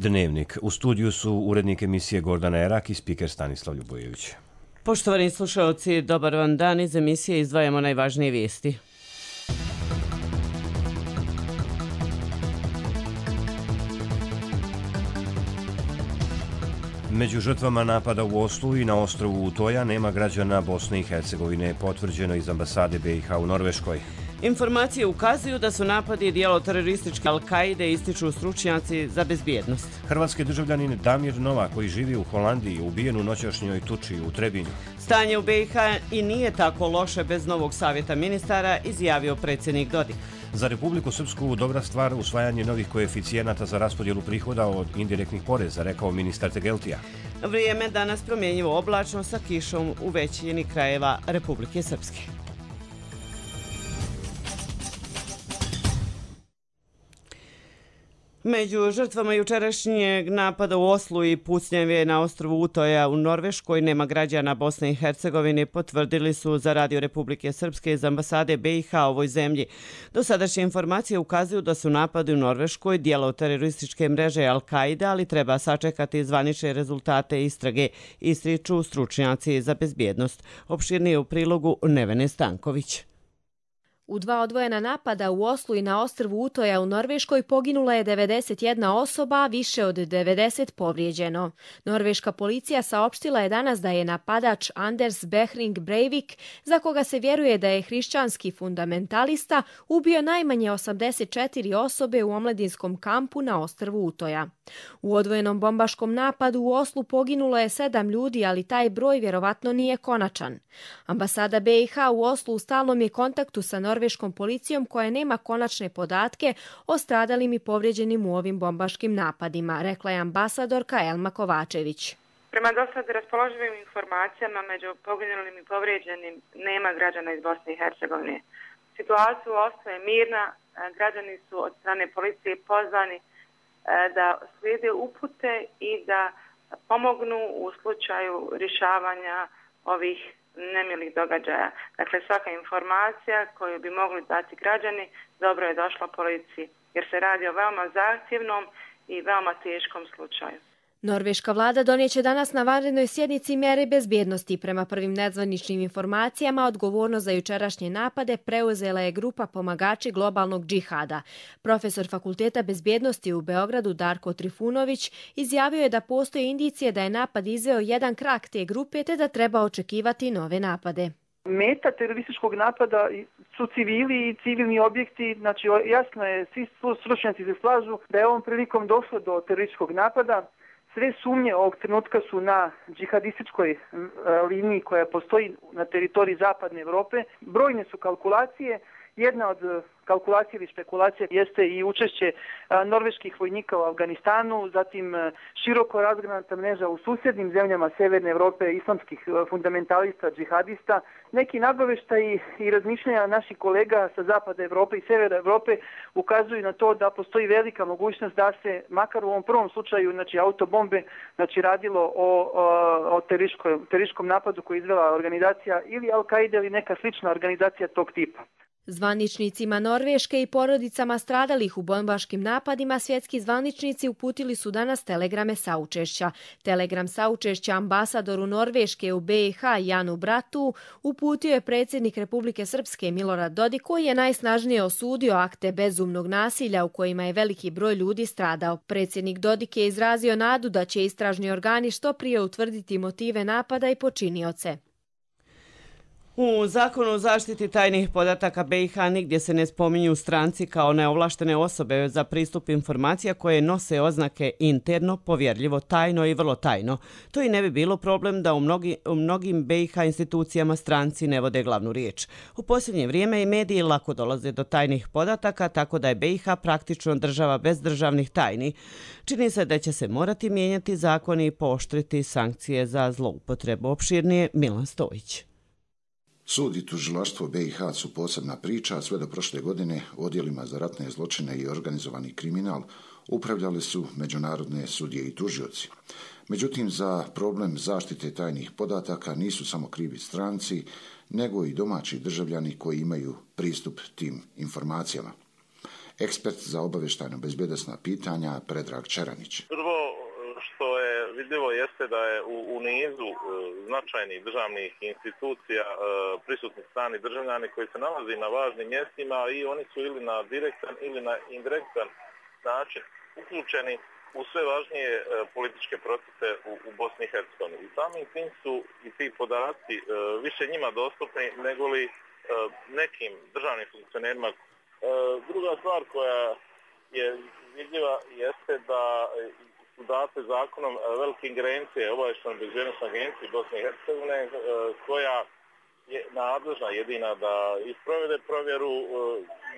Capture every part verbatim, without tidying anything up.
Dnevnik. U studiju su urednik emisije Gordana Erak i spiker Stanislav Ljubojević. Poštovani slušalci, dobar vam dan. Iz emisije izdvajamo najvažnije vijesti. Među žrtvama napada u Oslu i na ostrvu Utoja nema građana Bosne i Hercegovine, potvrđeno iz ambasade B i H u Norveškoj. Informacije ukazuju da su napadi dijelo terorističke Al-Kaide, ističu stručnjaci za bezbjednost. Hrvatski državljanin Damir Nova, koji živi u Holandiji, ubijen u noćašnjoj tuči u Trebinju. Stanje u B i H i nije tako loše bez novog savjeta ministara, izjavio predsjednik Dodik. Za Republiku Srpsku dobra stvar usvajanje novih koeficijenata za raspodjelu prihoda od indirektnih poreza, rekao ministar Tegeltija. Vrijeme danas promjenjivo oblačno sa kišom u većini krajeva Republike Srpske. Među žrtvama jučerašnjeg napada u Oslu i pucnjeve na ostrvu Utoja u Norveškoj nema građana Bosne i Hercegovine, potvrdili su za Radio Republike Srpske iz ambasade B i H ovoj zemlji. Dosadašnje informacije ukazuju da su napadi u Norveškoj dijelo terorističke mreže Al-Kaide, ali treba sačekati zvanične rezultate istrage, ističu stručnjaci za bezbjednost. Opširnije u prilogu Nevene Stanković. U dva odvojena napada u Oslu i na ostrvu Utoja u Norveškoj poginula je devedeset jedna osoba, a više od devedeset povrijeđeno. Norveška policija saopštila je danas da je napadač Anders Behring Breivik, za koga se vjeruje da je hrišćanski fundamentalista, ubio najmanje osamdeset četiri osobe u omladinskom kampu na ostrvu Utoja. U odvojenom bombaškom napadu u Oslu poginulo je sedam ljudi, ali taj broj vjerovatno nije konačan. Ambasada B i H u Oslu u stalnom je kontaktu sa norveškom policijom koja nema konačne podatke o stradalim i povrijeđenim u ovim bombaškim napadima, rekla je ambasadorka Elma Kovačević. Prema dosad raspoloživim informacijama među poginulim i povrijeđenim nema građana iz Bosne i Hercegovine. Situacija u Oslu je mirna, građani su od strane policije pozvani da slijede upute i da pomognu u slučaju rješavanja ovih nemilih događaja. Dakle, svaka informacija koju bi mogli dati građani dobro je došla policiji, jer se radi o veoma zahtjevnom i veoma teškom slučaju. Norveška vlada donijeće danas na vanrednoj sjednici mjere bezbjednosti. Prema prvim nadzvaničnim informacijama, odgovornost za jučerašnje napade preuzela je grupa pomagači globalnog džihada. Profesor Fakulteta bezbjednosti u Beogradu Darko Trifunović izjavio je da postoje indicije da je napad izveo jedan krak te grupe te da treba očekivati nove napade. Meta terorističkog napada su civili i civilni objekti, znači jasno je, svi stručnjaci se slažu da je ovom prilikom došlo do terorističkog napada. Sve sumnje ovog trenutka su na džihadističkoj liniji koja postoji na teritoriji zapadne Europe. Brojne su kalkulacije. Jedna od kalkulacija ili špekulacija jeste i učešće norveških vojnika u Afganistanu, zatim široko razgranata mreža u susjednim zemljama Severne Europe, islamskih fundamentalista, džihadista. Neki nagoveštaji i razmišljanja naših kolega sa zapada Europe i severa Europe ukazuju na to da postoji velika mogućnost da se, makar u ovom prvom slučaju, znači autobombe, znači radilo o, o, o terorističkom napadu koji je izvela organizacija ili Al-Kaide ili neka slična organizacija tog tipa. Zvaničnicima Norveške i porodicama stradalih u bombaškim napadima svjetski zvaničnici uputili su danas telegrame saučešća. Telegram saučešća ambasadoru Norveške u B i H Janu Bratu uputio je predsjednik Republike Srpske Milorad Dodik, koji je najsnažnije osudio akte bezumnog nasilja u kojima je veliki broj ljudi stradao. Predsjednik Dodik je izrazio nadu da će istražni organi što prije utvrditi motive napada i počinioce. U Zakonu o zaštiti tajnih podataka B i H nigdje se ne spominju stranci kao neovlaštene osobe za pristup informacija koje nose oznake interno, povjerljivo, tajno i vrlo tajno. To i ne bi bilo problem da u, mnogi, u mnogim B i H institucijama stranci ne vode glavnu riječ. U posljednje vrijeme i mediji lako dolaze do tajnih podataka, tako da je B i H praktično država bez državnih tajni. Čini se da će se morati mijenjati zakoni i pooštriti sankcije za zloupotrebu. Opširnije Milan Stojić. Sud i tužilaštvo B i H su posebna priča, a sve do prošle godine odjelima za ratne zločine i organizovani kriminal upravljali su međunarodne sudije i tužioci. Međutim, za problem zaštite tajnih podataka nisu samo krivi stranci, nego i domaći državljani koji imaju pristup tim informacijama. Ekspert za obavještajno bezbjednosna pitanja Predrag Čeranić. Prvo što je vidljivo jeste da je u, u nizu e, značajnih državnih institucija e, prisutni strani državljani koji se nalazi na važnim mjestima i oni su ili na direktan ili na indirektan način uključeni u sve važnije e, političke procese u, u Bosni i Hercegovini. I samim tim su i ti podaci e, više njima dostupni nego li e, nekim državnim funkcionerima. E, druga stvar koja je vidljiva jeste da su date zakonom velike ingerencije obavještajnoj bezbjednosnoj agenciji Bosne i Hercegovine e, koja je nadležna jedina da isprovede provjeru e,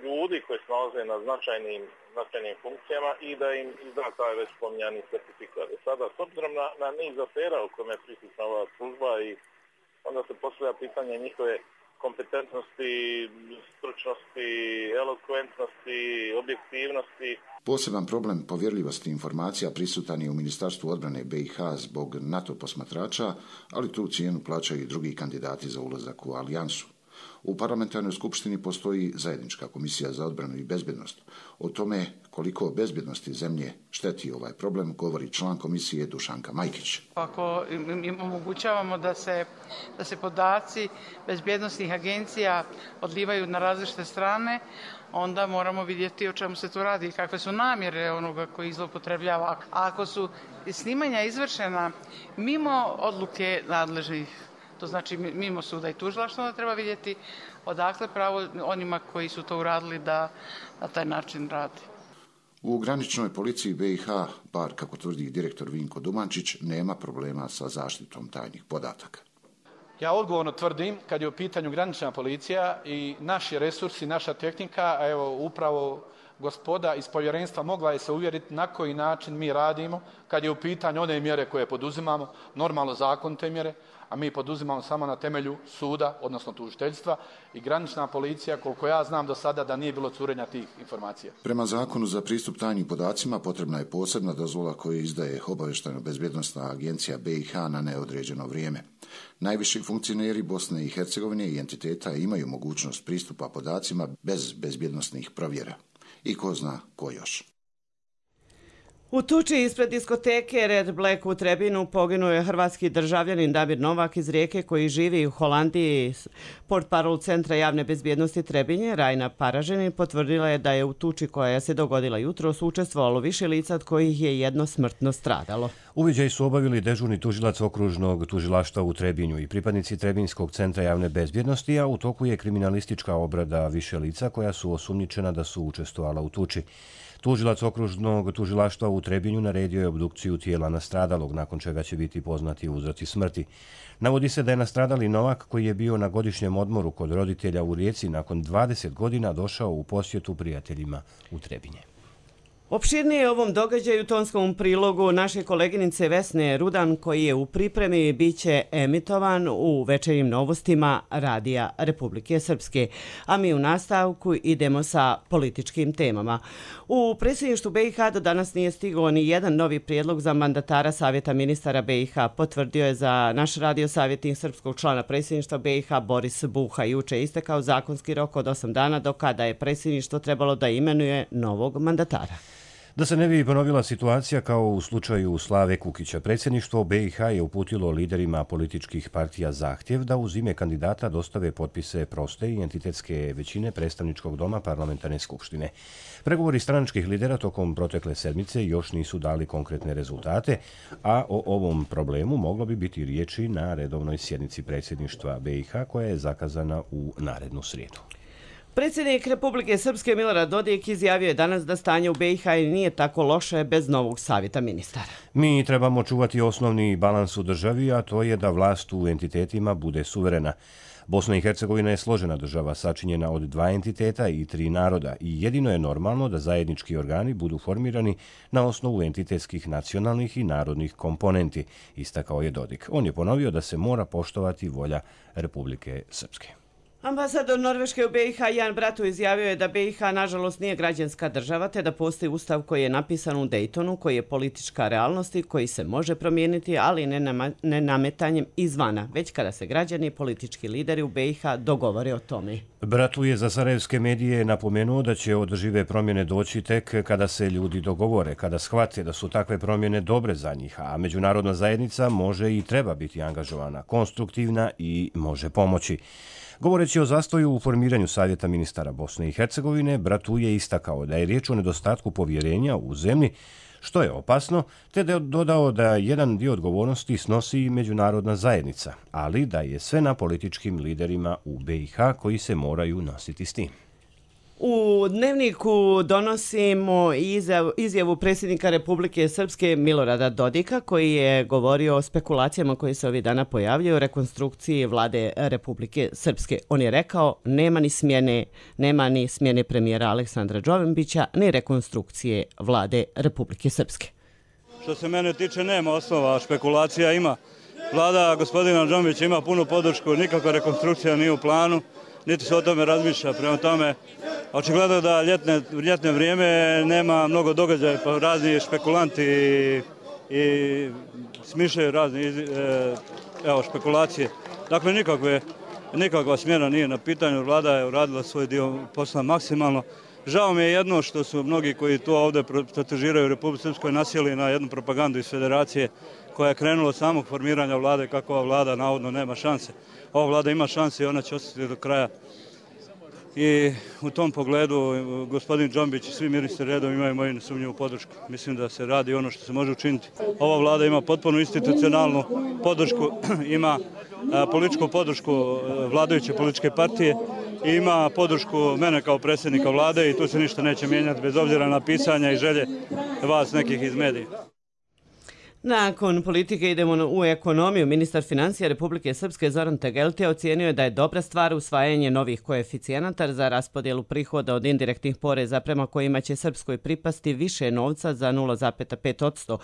ljudi koji se nalaze na značajnim, značajnim funkcijama i da im izda taj već spominjani certifikat. Sada, s obzirom na, na niz afera u kojima je prisutna ova služba i onda se postavlja pitanje njihove kompetentnosti, stručnosti, elokventnosti, objektivnosti. Poseban problem povjerljivosti informacija prisutan je u Ministarstvu odbrane B i H zbog NATO posmatrača, ali tu cijenu plaćaju i drugi kandidati za ulazak u alijansu. U parlamentarnoj skupštini postoji zajednička komisija za odbranu i bezbjednost. O tome koliko bezbjednosti zemlje šteti ovaj problem govori član komisije Dušanka Majkić. Ako im omogućavamo da se, da se podaci bezbjednosnih agencija odlivaju na različite strane, onda moramo vidjeti o čemu se tu radi i kakve su namjere onoga koji zloupotrebljava. A ako su snimanja izvršena mimo odluke nadležnih, to znači mimo suda i tužilaštva, onda treba vidjeti odakle pravo onima koji su to uradili da na taj način radi. U graničnoj policiji B i H, bar kako tvrdi direktor Vinko Dumančić, nema problema sa zaštitom tajnih podataka. Ja odgovorno tvrdim, kad je u pitanju granična policija i naši resursi, naša tehnika, a evo upravo gospoda iz povjerenstva mogla je se uvjeriti na koji način mi radimo, kad je u pitanju one mjere koje poduzimamo, normalno zakonite mjere, a mi poduzimamo samo na temelju suda, odnosno tužiteljstva, i granična policija, koliko ja znam do sada, da nije bilo curenja tih informacija. Prema zakonu za pristup tajnim podacima potrebna je posebna dozvola koju izdaje obavještajno-bezbjednosna agencija B i H na neodređeno vrijeme. Najviši funkcioneri Bosne i Hercegovine i entiteta imaju mogućnost pristupa podacima bez bezbjednosnih provjera. I ko zna ko još. U tuči ispred diskoteke Red Black u Trebinu poginuo je hrvatski državljanin Damir Novak iz Rijeke koji živi u Holandiji. Portparol Centra javne bezbjednosti Trebinje, Rajna Paraženin, potvrdila je da je u tuči koja se dogodila jutros učestvovalo više lica od kojih je jedno smrtno stradalo. Uviđaj su obavili dežurni tužilac okružnog tužilaštva u Trebinju i pripadnici Trebinskog centra javne bezbjednosti, a u toku je kriminalistička obrada više lica koja su osumnjičena da su učestvovala u tuči. Tužilac okružnog tužilaštva u Trebinju naredio je obdukciju tijela nastradalog, nakon čega će biti poznati uzroci smrti. Navodi se da je nastradali Novak, koji je bio na godišnjem odmoru kod roditelja u Rijeci, nakon dvadeset godina došao u posjetu prijateljima u Trebinje. Opširnije o ovom događaju tonskom prilogu naše koleginice Vesne Rudan, koji je u pripremi, bit će emitovan u večernjim novostima Radija Republike Srpske. A mi u nastavku idemo sa političkim temama. U predsjedništvu B i H do danas nije stigao ni jedan novi prijedlog za mandatara Savjeta ministara B i H. Potvrdio je za naš radio savjetnik srpskog člana predsjedništva B i H Boris Buha. Juče istekao zakonski rok od osam dana do kada je predsjedništvo trebalo da imenuje novog mandatara. Da se ne bi ponovila situacija kao u slučaju Slave Kukića, predsjedništvo B i H je uputilo liderima političkih partija zahtjev da uz ime kandidata dostave potpise proste i entitetske većine predstavničkog doma parlamentarne skupštine. Pregovori stranačkih lidera tokom protekle sedmice još nisu dali konkretne rezultate, a o ovom problemu moglo bi biti riječi na redovnoj sjednici predsjedništva B i H koja je zakazana u narednu srijedu. Predsjednik Republike Srpske Milorad Dodik izjavio je danas da stanje u B i H nije tako loše bez novog savjeta ministara. Mi trebamo čuvati osnovni balans u državi, a to je da vlast u entitetima bude suverena. Bosna i Hercegovina je složena država sačinjena od dva entiteta i tri naroda i jedino je normalno da zajednički organi budu formirani na osnovu entitetskih nacionalnih i narodnih komponenti, istakao je Dodik. On je ponovio da se mora poštovati volja Republike Srpske. Ambasador Norveške u B i H Jan Bratu izjavio je da B i H nažalost nije građanska država te da postoji ustav koji je napisan u Daytonu, koji je politička realnost i koji se može promijeniti, ali ne, nama, ne nametanjem izvana, već kada se građani i politički lideri u B i H dogovore o tome. Bratu je za sarajevske medije napomenuo da će održive promjene doći tek kada se ljudi dogovore, kada shvate da su takve promjene dobre za njih, a međunarodna zajednica može i treba biti angažovana, konstruktivna i može pomoći. Govoreći o zastoju u formiranju Savjeta ministara Bosne i Hercegovine, Bratu je istakao da je riječ o nedostatku povjerenja u zemlji, što je opasno, te da je dodao da jedan dio odgovornosti snosi i međunarodna zajednica, ali da je sve na političkim liderima u B i H koji se moraju nositi s tim. U Dnevniku donosimo izjavu, izjavu predsjednika Republike Srpske Milorada Dodika, koji je govorio o spekulacijama koje se ovih dana pojavljaju o rekonstrukciji vlade Republike Srpske. On je rekao nema ni smjene, nema ni smjene premijera Aleksandra Đovimbića, ni rekonstrukcije vlade Republike Srpske. Što se mene tiče, nema osnova, špekulacija ima. Vlada gospodina Đovimbića ima punu podršku, nikakva rekonstrukcija nije u planu, niti se o tome razmišlja. Prema tome, očigledno da ljetne, ljetne vrijeme nema mnogo događaja, pa razni špekulanti i, i smišljaju razne e, evo, špekulacije. Dakle, nikakve, nikakva smjena nije na pitanju. Vlada je uradila svoj dio posla maksimalno. Žao mi je jedno što su mnogi koji to ovdje protežiraju u Republici Srpskoj nasjeli na jednu propagandu iz federacije koja je krenula od samog formiranja vlade, kako ova vlada navodno nema šanse. Ova vlada ima šanse i ona će ostati do kraja. I u tom pogledu gospodin Đombić i svi ministri redom imaju moju nesumnjivu podršku. Mislim da se radi ono što se može učiniti. Ova vlada ima potpuno institucionalnu podršku, ima političku podršku vladajuće političke partije i ima podršku mene kao predsjednika vlade i tu se ništa neće mijenjati bez obzira na pisanja i želje vas nekih iz medija. Nakon politike idemo u ekonomiju. Ministar financija Republike Srpske Zoran Tegeltija ocijenio je da je dobra stvar usvajanje novih koeficijenata za raspodjelu prihoda od indirektnih poreza prema kojima će Srpskoj pripasti više novca za nula zarez pet posto.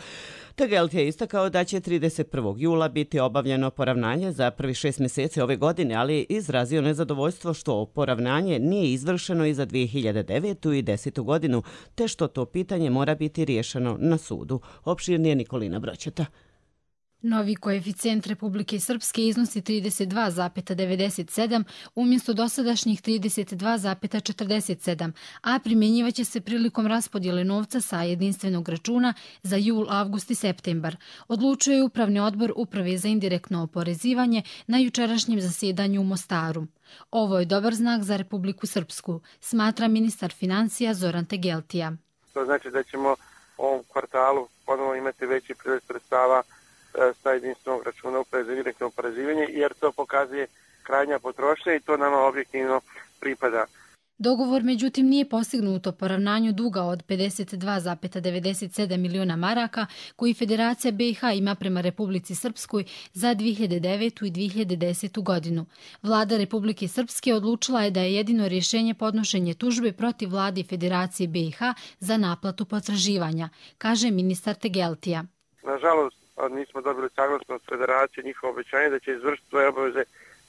Tegeltija je istakao da će trideset prvog jula biti obavljeno poravnanje za prvi šest mjeseci ove godine, ali je izrazio nezadovoljstvo što poravnanje nije izvršeno i za dvije hiljade devetu i desetu godinu, te što to pitanje mora biti riješeno na sudu. Opširnije Nikolina Broćeta. Novi koeficijent Republike Srpske iznosi trideset dva zarez devedeset sedam umjesto dosadašnjih trideset dva zarez četrdeset sedam, a primjenjivaće se prilikom raspodjele novca sa jedinstvenog računa za jul, avgust i septembar. Odlučuje je Upravni odbor Uprave za indirektno oporezivanje na jučerašnjem zasjedanju u Mostaru. Ovo je dobar znak za Republiku Srpsku, smatra ministar financija Zoran Tegeltija. To znači da ćemo u ovom kvartalu ponovno imati veći priliv sredstava sa jedinstvenog računa Uprave za indirektno oporezivanje, jer to pokazuje krajnja potrošnja i to nama objektivno pripada. Dogovor međutim nije postignut o poravnanju duga od pedeset dva zarez devedeset sedam miliona maraka koji Federacija B i H ima prema Republici Srpskoj za dvije hiljade devetu i dvije hiljade desetu godinu. Vlada Republike Srpske odlučila je da je jedino rješenje podnošenje tužbe protiv vlade Federacije B i H za naplatu potraživanja, kaže ministar Tegeltija. Nažalost, nismo dobili saglasnost Federacije, njihovo obećanje da će izvršiti svoje obaveze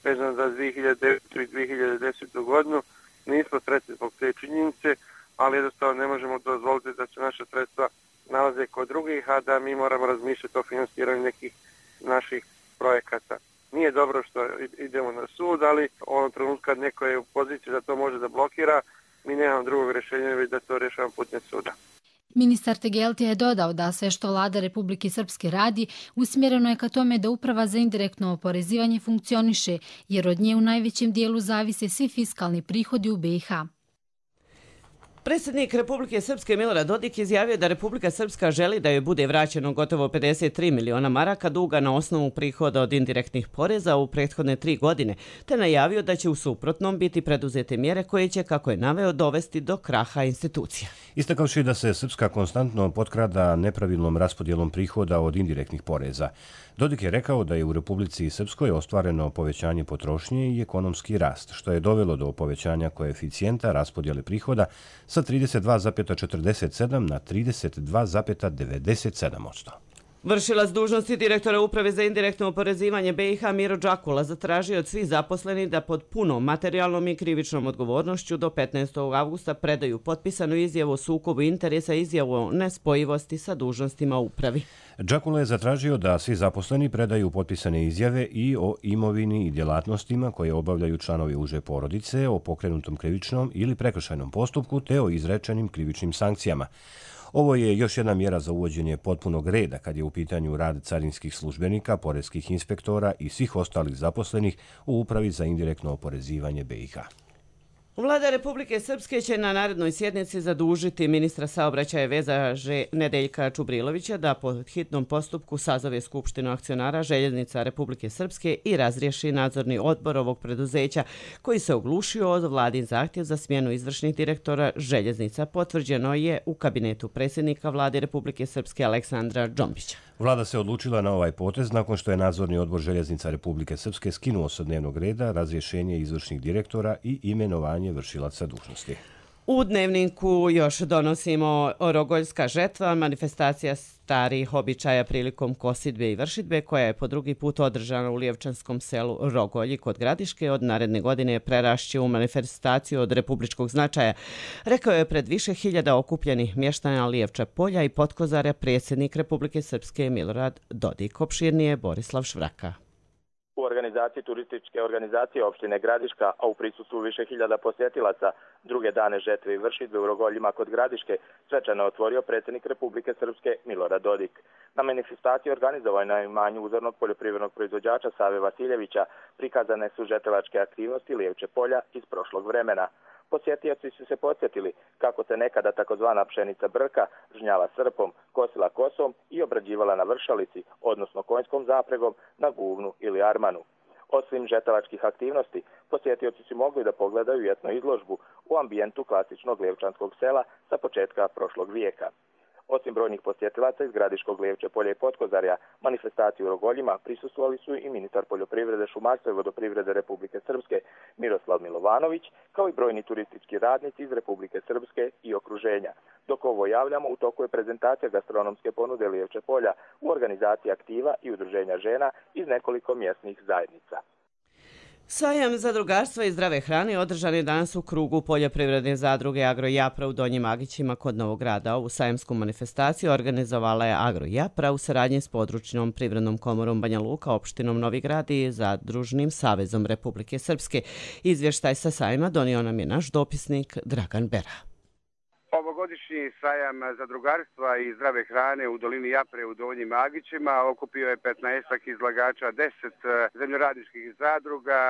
vezano za dvije hiljade devetu i dvije hiljade desetu godinu. Nismo sretni zbog te činjenice, ali jednostavno ne možemo dozvoliti da se naša sredstva nalaze kod drugih, a da mi moramo razmišljati o financiranju nekih naših projekata. Nije dobro što idemo na sud, ali u ovom trenutku kad neko je u poziciji da to može da blokira, mi nemamo drugog rješenja već da to rješavamo putem suda. Ministar Tegeltija je dodao da sve što vlada Republike Srpske radi usmjereno je ka tome da Uprava za indirektno oporezivanje funkcioniše, jer od nje u najvećem dijelu zavise svi fiskalni prihodi u B i H. Predsjednik Republike Srpske Milorad Dodik izjavio da Republika Srpska želi da joj bude vraćeno gotovo pedeset tri miliona maraka duga na osnovu prihoda od indirektnih poreza u prethodne tri godine, te najavio da će u suprotnom biti preduzete mjere koje će, kako je naveo, dovesti do kraha institucija. Istakavši da se Srpska konstantno potkrada nepravilnom raspodjelom prihoda od indirektnih poreza, Dodik je rekao da je u Republici Srpskoj ostvareno povećanje potrošnje i ekonomski rast, što je dovelo do povećanja koeficijenta raspodjele prihoda sa trideset dva zarez četrdeset sedam na trideset dva zarez devedeset sedam posto. Vršilac dužnosti direktora Uprave za indirektno oporezivanje B i H Miro Đakula zatražio od svih zaposlenih da pod punom materijalnom i krivičnom odgovornošću do petnaestog avgusta predaju potpisanu izjavu o sukobu interesa i izjavu o nespojivosti sa dužnostima u upravi. Đakula je zatražio da svi zaposleni predaju potpisane izjave i o imovini i djelatnostima koje obavljaju članovi uže porodice, o pokrenutom krivičnom ili prekršajnom postupku te o izrečenim krivičnim sankcijama. Ovo je još jedna mjera za uvođenje potpunog reda kad je u pitanju rad carinskih službenika, poreskih inspektora i svih ostalih zaposlenih u Upravi za indirektno oporezivanje B i H. Vlada Republike Srpske će na narednoj sjednici zadužiti ministra saobraćaja i veza Nedeljka Čubrilovića da po hitnom postupku sazove Skupštinu akcionara Željeznica Republike Srpske i razriješi nadzorni odbor ovog preduzeća koji se oglušio od vladin zahtjev za smjenu izvršnih direktora Željeznica. Potvrđeno je u kabinetu predsjednika Vlade Republike Srpske Aleksandra Džombića. Vlada se odlučila na ovaj potez nakon što je nadzorni odbor Željeznica Republike Srpske skinuo sa dnevnog reda razrješenje izvršnih direktora i imenovanje vršilaca dužnosti. U dnevniku još donosimo Rogoljska žetva, manifestacija starih običaja prilikom kosidbe i vršidbe koja je po drugi put održana u lijevčanskom selu Rogolji kod Gradiške. Od naredne godine prerašće u manifestaciju od republičkog značaja, rekao je pred više hiljada okupljenih mještana Lijevča polja i Potkozarja predsjednik Republike Srpske Milorad Dodik. Opširnije Borislav Švraka. U organizaciji turističke organizacije opštine Gradiška, a u prisustvu više hiljada posjetilaca, druge dane žetve i vršidbe u Rogoljima kod Gradiške svečano otvorio predsjednik Republike Srpske Milorad Dodik. Na manifestaciji organizovanoj na imanju uzornog poljoprivrednog proizvođača Save Vasiljevića prikazane su žetelačke aktivnosti Lijevče polja iz prošlog vremena. Posjetioci su se podsjetili kako se nekada takozvana pšenica brka žnjala srpom, kosila kosom i obrađivala na vršalici, odnosno konjskom zapregom na guvnu ili armanu. Osim žetelačkih aktivnosti, posjetioci su mogli da pogledaju etno izložbu u ambijentu klasičnog lijevčanskog sela sa početka prošlog vijeka. Osim brojnih posjetilaca iz Gradiškog, Lijevče polja i Potkozarja, manifestaciju u Rogoljima prisustvovali su i ministar poljoprivrede, šumarstva i vodoprivrede Republike Srpske Miroslav Milovanović, kao i brojni turistički radnici iz Republike Srpske i okruženja. Dok ovo javljamo, u toku je prezentacija gastronomske ponude Lijevče polja u organizaciji aktiva i udruženja žena iz nekoliko mjesnih zajednica. Sajam zadrugarstva i zdrave hrane održan je danas u krugu poljoprivredne zadruge Agro Japra u Donjim Agićima kod Novog Grada. Ovu sajamsku manifestaciju organizovala je Agro Japra u saradnji s područnom privrednom komorom Banja Luka, opštinom Novi Grad i Zadružnim savezom Republike Srpske. Izvještaj sa sajma donio nam je naš dopisnik Dragan Bera. Ovogodišnji sajam zadrugarstva i zdrave hrane u dolini Japre u Donjim Agićima okupio je petnaestak izlagača, deset zemljoradničkih zadruga,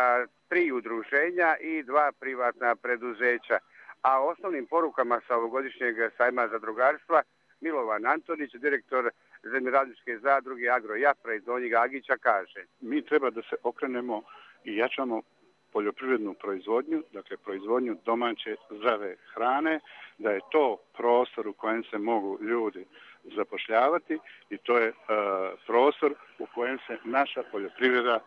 tri udruženja i dva privatna preduzeća. A osnovnim porukama sa ovogodišnjeg sajma zadrugarstva Milovan Antonić, direktor zemljoradničke zadruge Agro Japra iz Donjih Agića, kaže: Mi treba da se okrenemo i jačamo poljoprivrednu proizvodnju, dakle proizvodnju domaće zdrave hrane, da je to prostor u kojem se mogu ljudi zapošljavati i to je e, prostor u kojem se naša poljoprivreda e,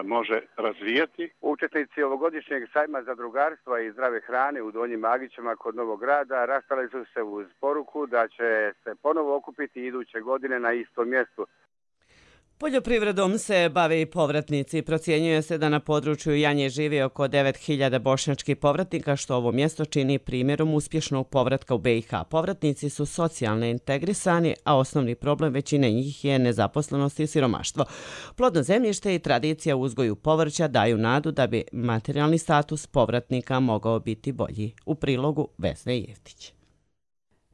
može razvijati. Učesnici ovogodišnjeg sajma zadrugarstva i zdrave hrane u Donjim Agićima kod Novog Grada rastali su se uz poruku da će se ponovo okupiti iduće godine na istom mjestu. Poljoprivredom se bave i povratnici. Procjenjuje se da na području Janje živi oko devet hiljada bošnjačkih povratnika, što ovo mjesto čini primjerom uspješnog povratka u B i H. Povratnici su socijalno integrisani, a osnovni problem većine njih je nezaposlenost i siromaštvo. Plodno zemljište i tradicija u uzgoju povrća daju nadu da bi materijalni status povratnika mogao biti bolji. U prilogu Vesne Jeftić.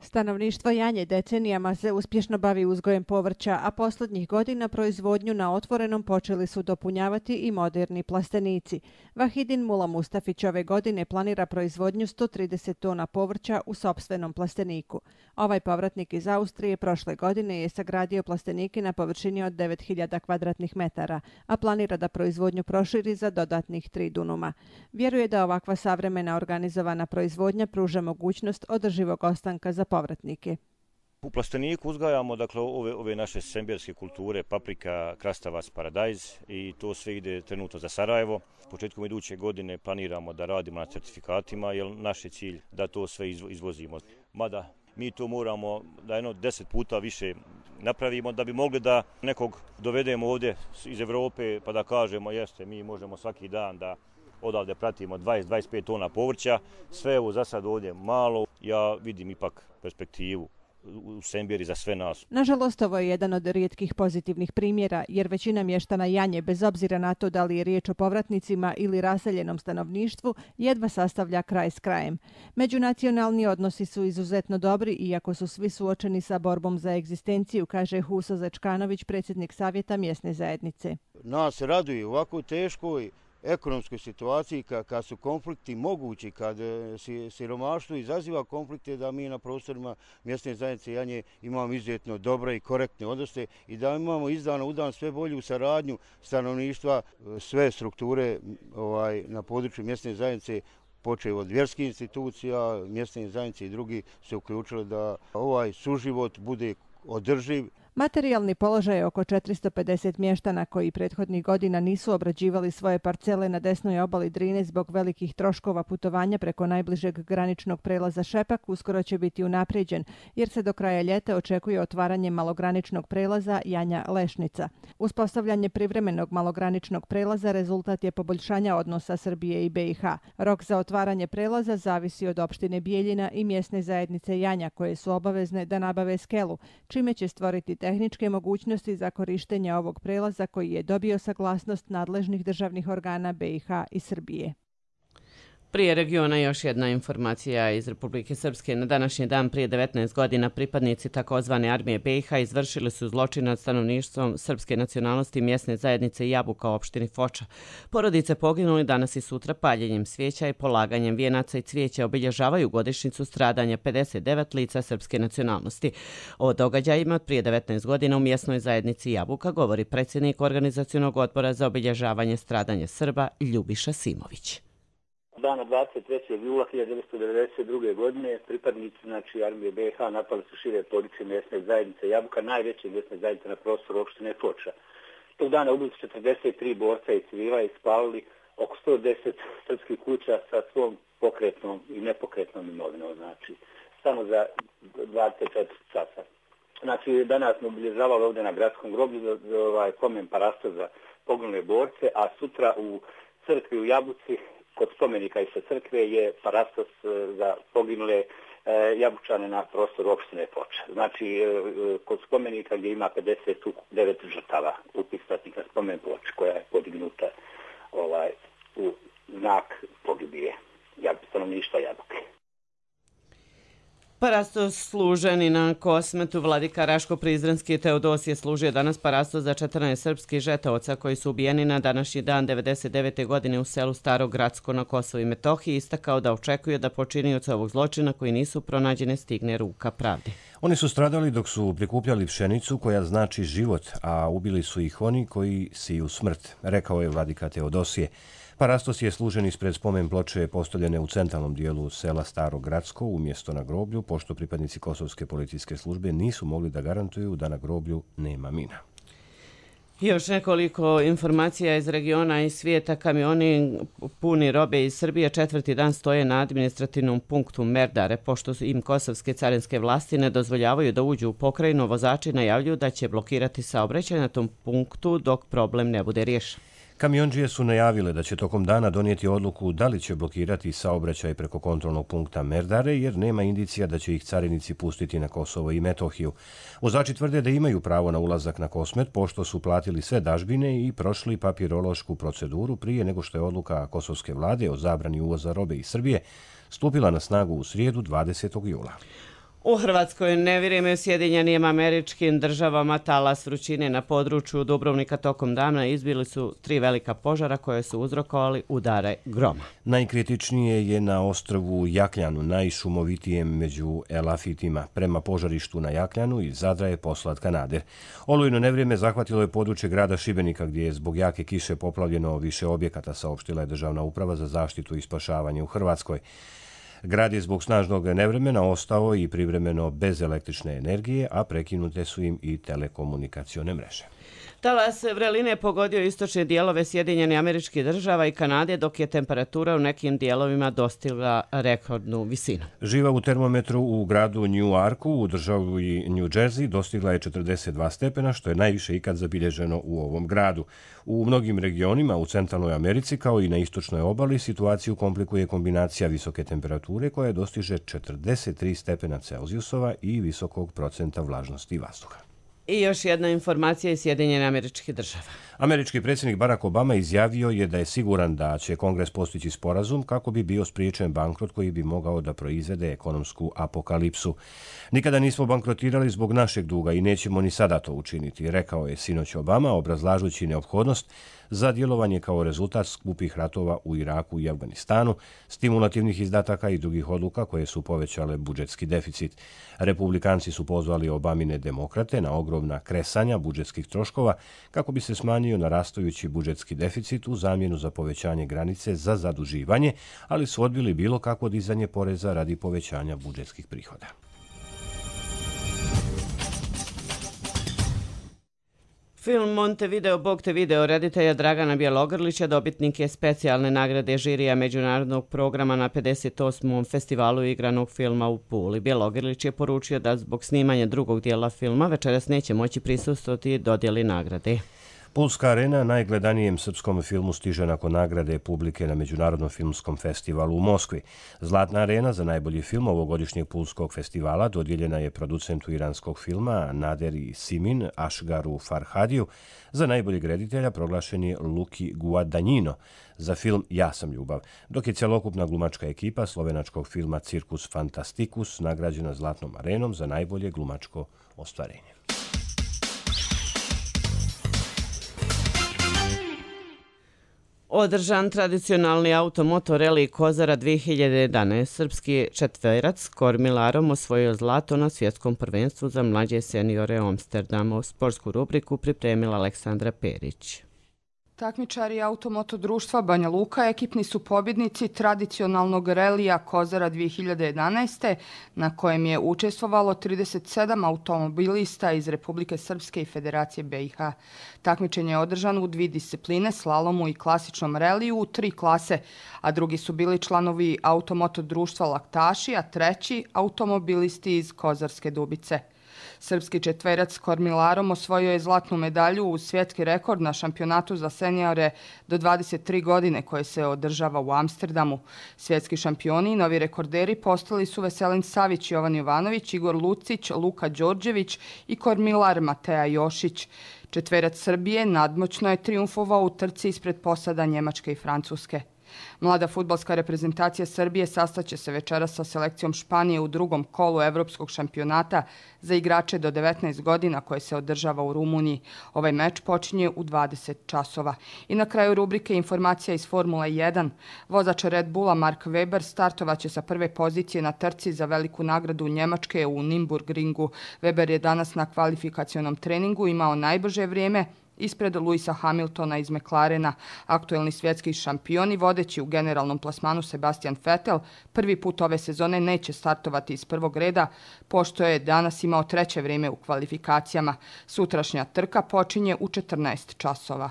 Stanovništvo Janje decenijama se uspješno bavi uzgojem povrća, a posljednjih godina proizvodnju na otvorenom počeli su dopunjavati i moderni plastenici. Vahidin Mula Mustafić ove godine planira proizvodnju sto trideset tona povrća u sopstvenom plasteniku. Ovaj povratnik iz Austrije prošle godine je sagradio plastenike na površini od devet hiljada kvadratnih metara, a planira da proizvodnju proširi za dodatnih tri dunuma. Vjeruje da ovakva savremena organizovana proizvodnja pruža mogućnost održivog ostanka za povratnike. U plasteniku uzgajamo dakle, ove, ove naše sembjerske kulture, paprika, krastavac, paradajz i to sve ide trenutno za Sarajevo. Početkom iduće godine planiramo da radimo na certifikatima, jer naš je cilj da to sve izvozimo. Mada mi to moramo da jedno deset puta više napravimo da bi mogli da nekog dovedemo ovdje iz Evrope pa da kažemo jeste, mi možemo svaki dan da odavde pratimo dvadeset do dvadeset pet tona povrća, sve evo za sad ovdje malo, ja vidim ipak perspektivu u Semberi za sve nas. Nažalost, ovo je jedan od rijetkih pozitivnih primjera, jer većina mještana Janje, bez obzira na to da li je riječ o povratnicima ili raseljenom stanovništvu, jedva sastavlja kraj s krajem. Međunacionalni odnosi su izuzetno dobri, iako su svi suočeni sa borbom za egzistenciju, kaže Huso Zečkanović, predsjednik Savjeta mjesne zajednice. Nas raduje u ovako teškoj ekonomskoj situaciji, kad su konflikti mogući, kad siromaštvo izaziva konflikte, da mi na prostorima mjesne zajednice Janje imamo izuzetno dobre i korektne odnose i da imamo iz dana u dan sve bolju saradnju stanovništva, sve strukture ovaj, na području mjesne zajednice, počeo od vjerskih institucija, mjesne zajednice i drugi se uključili da ovaj suživot bude održiv. Materijalni položaj oko četiristo pedeset mještana koji prethodnih godina nisu obrađivali svoje parcele na desnoj obali Drine zbog velikih troškova putovanja preko najbližeg graničnog prelaza Šepak uskoro će biti unaprijeđen, jer se do kraja ljeta očekuje otvaranje malograničnog prelaza Janja-Lešnica. Uspostavljanje privremenog malograničnog prelaza rezultat je poboljšanja odnosa Srbije i B i H. Rok za otvaranje prelaza zavisi od opštine Bijeljina i mjesne zajednice Janja, koje su obavezne da nabave skelu, čime će stvoriti tehničke mogućnosti za korištenje ovog prelaza koji je dobio saglasnost nadležnih državnih organa B i H i Srbije. Prije regiona još jedna informacija iz Republike Srpske. Na današnji dan prije devetnaest godina pripadnici takozvane armije B i H izvršili su zločin nad stanovništvom srpske nacionalnosti mjesne zajednice Jabuka u opštini Foča. Porodice poginuli danas i sutra paljenjem svijeća i polaganjem vijenaca i cvijeća obilježavaju godišnjicu stradanja pedeset devet lica srpske nacionalnosti. O događajima od prije devetnaest godina u mjesnoj zajednici Jabuka govori predsjednik organizacionog odbora za obilježavanje stradanja Srba Ljubiša Simović. Dana dvadeset trećeg jula hiljadu devetsto devedeset druge. godine pripadnici znači, armije B i H napali su šire područje mjesne zajednice Jabuka, najveće mjesne zajednice na prostoru opštine Foča. Tog dana ubili su četrdeset tri borca i civila i spalili oko sto deset srpskih kuća sa svom pokretnom i nepokretnom imovinom, znači samo za dvadeset četiri časa. Znači danas smo obilježavali ovdje na gradskom groblju ovaj, pomen parasta za poginule borce, a sutra u crkvi u Jabuci kod spomenika i sa crkve je parastos za poginule e, Jabučane na prostoru opštine Foča. Znači, e, kod spomenika gdje ima pedeset devet žrtava upisatnika spomen ploče koja je podignuta ovaj, u znak pogibije stanovništva Jabuke. Parastos služeni na Kosmetu vladika Raško-Prizrenski Teodosije služio danas parastos za četrnaest srpskih žetaoca koji su ubijeni na današnji dan devedeset devete. godine u selu Staro Gradsko na Kosovu i Metohiji, istakao da očekuje da počinioci ovog zločina koji nisu pronađene stigne ruka pravde. Oni su stradali dok su prikupljali pšenicu koja znači život, a ubili su ih oni koji siju smrt, rekao je vladika Teodosije. Parastos je služen ispred spomen ploče postavljene u centralnom dijelu sela Staro Gradsko umjesto na groblju, pošto pripadnici Kosovske policijske službe nisu mogli da garantuju da na groblju nema mina. Još nekoliko informacija iz regiona i svijeta. Kamioni puni robe iz Srbije četvrti dan stoje na administrativnom punktu Merdare, pošto im kosovske carinske vlasti ne dozvoljavaju da uđu u pokrajinu. Vozači najavljuju da će blokirati saobraćaj na tom punktu dok problem ne bude riješen. Kamiondžije su najavile da će tokom dana donijeti odluku da li će blokirati saobraćaj preko kontrolnog punkta Merdare, jer nema indicija da će ih carinici pustiti na Kosovo i Metohiju. Vozači tvrde da imaju pravo na ulazak na Kosmet, pošto su platili sve dažbine i prošli papirološku proceduru prije nego što je odluka kosovske vlade o zabrani uvoza robe iz Srbije stupila na snagu u srijedu dvadesetog jula. U Hrvatskoj nevrijeme u Sjedinjenim Američkim Državama, talas vrućine na području Dubrovnika tokom dana izbili su tri velika požara koje su uzrokovali udare groma. Najkritičnije je na ostrvu Jakljanu, najšumovitijem među elafitima. Prema požarištu na Jakljanu iz Zadra je poslat kanader. Olujno nevrijeme zahvatilo je područje grada Šibenika gdje je zbog jake kiše poplavljeno više objekata, saopštila je Državna uprava za zaštitu i spašavanje u Hrvatskoj. Grad je zbog snažnog nevremena ostao i privremeno bez električne energije, a prekinute su im i telekomunikacione mreže. Talas vreline pogodio istočne dijelove Sjedinjenih Američkih Država i Kanade, dok je temperatura u nekim dijelovima dostigla rekordnu visinu. Živa u termometru u gradu Newarku u državi New Jersey dostigla je četrdeset dva stepena, što je najviše ikad zabilježeno u ovom gradu. U mnogim regionima u centralnoj Americi, kao i na istočnoj obali, situaciju komplikuje kombinacija visoke temperature koja dostiže četrdeset tri stepena Celzijusova i visokog procenta vlažnosti vazduha. I još jedna informacija iz Sjedinjenih Američkih Država. Američki predsjednik Barack Obama izjavio je da je siguran da će Kongres postići sporazum kako bi bio spriječen bankrot koji bi mogao da proizvede ekonomsku apokalipsu. Nikada nismo bankrotirali zbog našeg duga i nećemo ni sada to učiniti, rekao je sinoć Obama, obrazlažući neophodnost za djelovanje kao rezultat skupih ratova u Iraku i Afganistanu, stimulativnih izdataka i drugih odluka koje su povećale budžetski deficit. Republikanci su pozvali Obamine demokrate na ogromna kresanja budžetskih troškova kako bi se smanjio narastajući budžetski deficit u zamjenu za povećanje granice za zaduživanje, ali su odbili bilo kakvo dizanje poreza radi povećanja budžetskih prihoda. Film Montevideo, Bog te video reditelja Dragana Bjelogrlića dobitnik je specijalne nagrade žirija međunarodnog programa na pedeset osmom festivalu igranog filma u Puli. Bjelogrlić je poručio da zbog snimanja drugog dijela filma večeras neće moći prisustvovati dodjeli nagrade. Pulska arena najgledanijem srpskom filmu stiže nakon nagrade publike na Međunarodnom filmskom festivalu u Moskvi. Zlatna arena za najbolji film ovogodišnjeg Pulskog festivala dodijeljena je producentu iranskog filma Naderi Simin Ašgaru Farhadiju. Za najboljeg reditelja proglašen je Luki Guadagnino za film Ja sam ljubav, dok je cjelokupna glumačka ekipa slovenačkog filma Cirkus Fantasticus nagrađena Zlatnom arenom za najbolje glumačko ostvarenje. Održan tradicionalni automoto reli Kozara dvije hiljade jedanaeste. Srpski četverac Kormilarom osvojio zlato na svjetskom prvenstvu za mlađe seniore Amsterdama. U sportsku rubriku pripremila Aleksandra Perić. Takmičari Automoto društva Banja Luka ekipni su pobjednici tradicionalnog relija Kozara dvije hiljade jedanaeste. na kojem je učestvovalo trideset sedam automobilista iz Republike Srpske i Federacije B i H. Takmičenje je održano u dvije discipline, slalomu i klasičnom reliju u tri klase, a drugi su bili članovi Automoto društva Laktaši, a treći automobilisti iz Kozarske Dubice. Srpski četverac Kormilarom osvojio je zlatnu medalju u svjetski rekord na šampionatu za seniore do dvadeset tri godine koje se održava u Amsterdamu. Svjetski šampioni i novi rekorderi postali su Veselin Savić, Jovan Jovanović, Igor Lucić, Luka Đorđević i Kormilar Mateja Jošić. Četverac Srbije nadmoćno je trijumfovao u trci ispred posada Njemačke i Francuske. Mlada fudbalska reprezentacija Srbije sastaće se večeras sa selekcijom Španije u drugom kolu Evropskog šampionata za igrače do devetnaest godina koje se održava u Rumuniji. Ovaj meč počinje u dvadeset časova. I na kraju rubrike informacija iz Formule jedan. Vozač Red Bulla Mark Webber startovaće sa prve pozicije na trci za veliku nagradu Njemačke u Nürburgringu. Webber je danas na kvalifikacionom treningu imao najbrže vrijeme ispred Luisa Hamiltona iz McLarena. Aktuelni svjetski šampion i vodeći u generalnom plasmanu Sebastian Vettel prvi put ove sezone neće startovati iz prvog reda, pošto je danas imao treće vrijeme u kvalifikacijama. Sutrašnja trka počinje u četrnaest časova.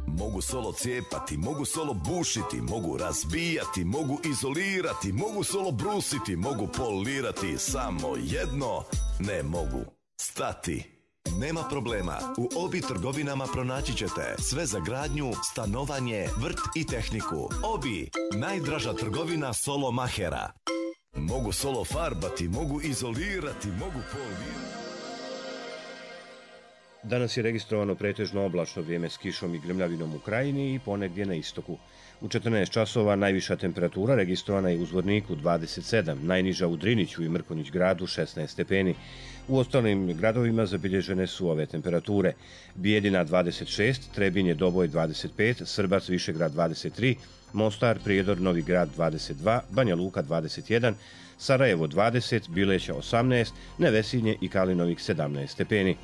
Mogu solo cijepati, mogu solo bušiti, mogu razbijati, mogu izolirati, mogu solo brusiti, mogu polirati, samo jedno ne mogu stati. Nema problema, u Obi trgovinama pronaći ćete sve za gradnju, stanovanje, vrt i tehniku. Obi, najdraža trgovina solo mahera. Mogu solo farbati, mogu izolirati, mogu polirati. Danas je registrovano pretežno oblačno vrijeme s kišom i grmljavinom u krajini i ponegdje na istoku. U četrnaest časova najviša temperatura registrovana je u Zvorniku dvadeset sedam, najniža u Driniću i Mrkonjić gradu šesnaest stepeni. U ostalim gradovima zabilježene su ove temperature. Bijeljina dvadeset šest, Trebinje, Doboj dvadeset pet, Srbac, Višegrad dvadeset tri, Mostar, Prijedor, Novi Grad dvadeset dva, Banja Luka dvadeset jedan, Sarajevo dvadeset, Bileća osamnaest, Nevesinje i Kalinovik sedamnaest stepeni.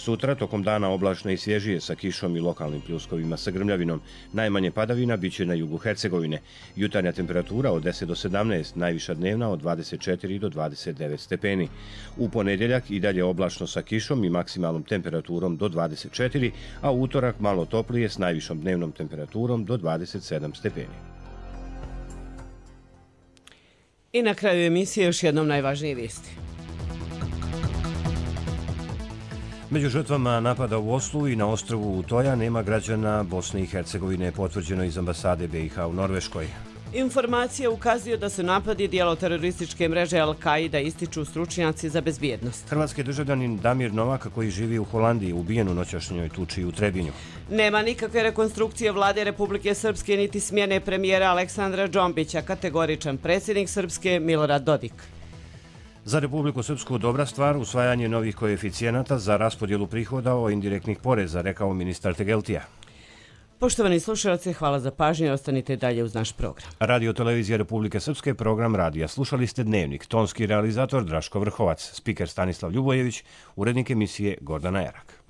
Sutra, tokom dana oblačno i svježije sa kišom i lokalnim pljuskovima sa grmljavinom. Najmanje padavina biće na jugu Hercegovine. Jutarnja temperatura od deset do sedamnaest, najviša dnevna od dvadeset četiri do dvadeset devet stepeni. U ponedjeljak i dalje oblačno sa kišom i maksimalnom temperaturom do dvadeset četiri, a utorak malo toplije s najvišom dnevnom temperaturom do dvadeset sedam stepeni. I na kraju emisije još jednom najvažnije vijesti. Među žrtvama napada u Oslu i na ostrvu Utoja nema građana Bosne i Hercegovine, potvrđeno iz ambasade B i H u Norveškoj. Informacija ukazuje da su napadi dijelo terorističke mreže Al-Qaida, ističu stručnjaci za bezbjednost. Hrvatski državljanin Damir Novak, koji živi u Holandiji, ubijen u noćašnjoj tuči u Trebinju. Nema nikakve rekonstrukcije vlade Republike Srpske niti smjene premijera Aleksandra Džombića, kategoričan predsjednik Srpske Milorad Dodik. Za Republiku Srpsku dobra stvar usvajanje novih koeficijenata za raspodjelu prihoda o indirektnih poreza, rekao ministar Tegeltija. Poštovani slušalci, hvala za pažnju i ostanite dalje uz naš program. Radio Televizija Republike Srpske, program radija. Slušali ste Dnevnik, tonski realizator Draško Vrhovac, spiker Stanislav Ljubojević, urednik emisije Gordana Jarak.